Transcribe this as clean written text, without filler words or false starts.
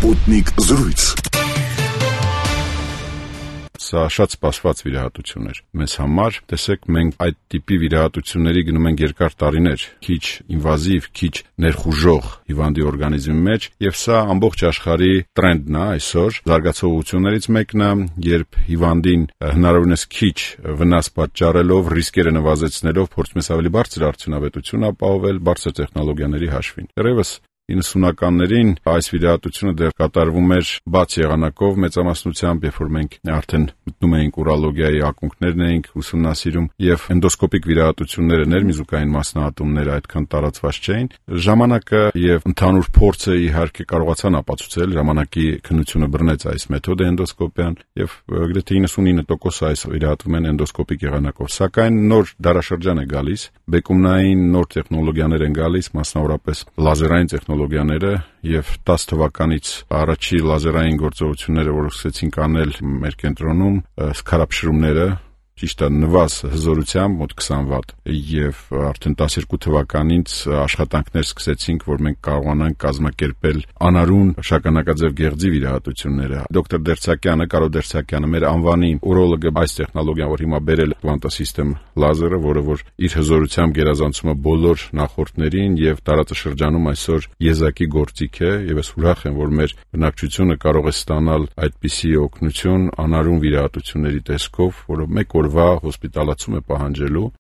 Sputnik զրույց։ Սա շատ սպասված վիրահատություն էր մեզ համար, տեսեք, մենք այդ տիպի վիրահատությունների գնում ենք երկար տարիներ, քիչ ինվազիվ, քիչ ներխուժող հիվանդի օրգանիզմի մեջ, եւ սա ամբողջ աշխարհի տրենդն է այսօր։ Զարգացողություններից մեկն է, երբ հիվանդին հնարավորինս քիչ վնաս պատճառելով, ռիսկերը նվազեցնելով, փորձում ես ավելի բարձր արդյունավետություն ապահովել բարձր տեխնոլոգիաների հաշվին։ Դեռևս 90-ականներին այս վիրահատությունը դեռ կատարվում էր բաց եղանակով մեծամասնությամբ, երբ որ մենք արդեն մտնում էինք ուրոլոգիայի ակունքներն էինք ուսումնասիրում եւ էնդոսկոպիկ վիրահատությունները, ներմիզուկային մասնահատումները այդքան տարածված չէին։ Ժամանակը եւ ընդհանուր փորձը իհարկե կարողացան ապացուցել, ժամանակի քննությունը բռնեց այս մեթոդը էնդոսկոպիան եւ գրեթե 99% այս վիրահատվում են էնդոսկոպիկ եղանակով։ Սակայն նոր դարաշրջան է գալիս, բեկումնային նոր տեխնոլոգիաներ են գալիս, մասնավորապես լազերային տեխնոլոգիաները եւ 10 թվականից առաջի լազերային գործողությունները, որ սկսեցինք անել մեր կենտրոնում, սքարափշրումները ճիշտ է նվազ հզորությամբ մոտ 20 վատ եւ արդեն 12 թվականից աշխատանքներ սկսեցինք, որ մենք կարողանանք կազմակերպել անարուն շագանակաձև գեղձի վիրահատությունները։ Դոկտոր Դերցակյանը, Կարո Դերցակյանը, մեր անվանի ուրոլոգը, այս տեխնոլոգիան, որ հիմա բերել Quantasystem լազերը, որը որ իր հզորությամբ գերազանցում է բոլոր նախորդներին եւ տարածաշրջանում այսօր եզակի գործիք է, եւ ես ուրախ եմ, որ մեր բնակչությունը կարող է ստանալ այդպիսի օգնություն անարուն վիրահատությունների տեսքով, որը մեկ օրվա հոսպիտալացում է պահանջելու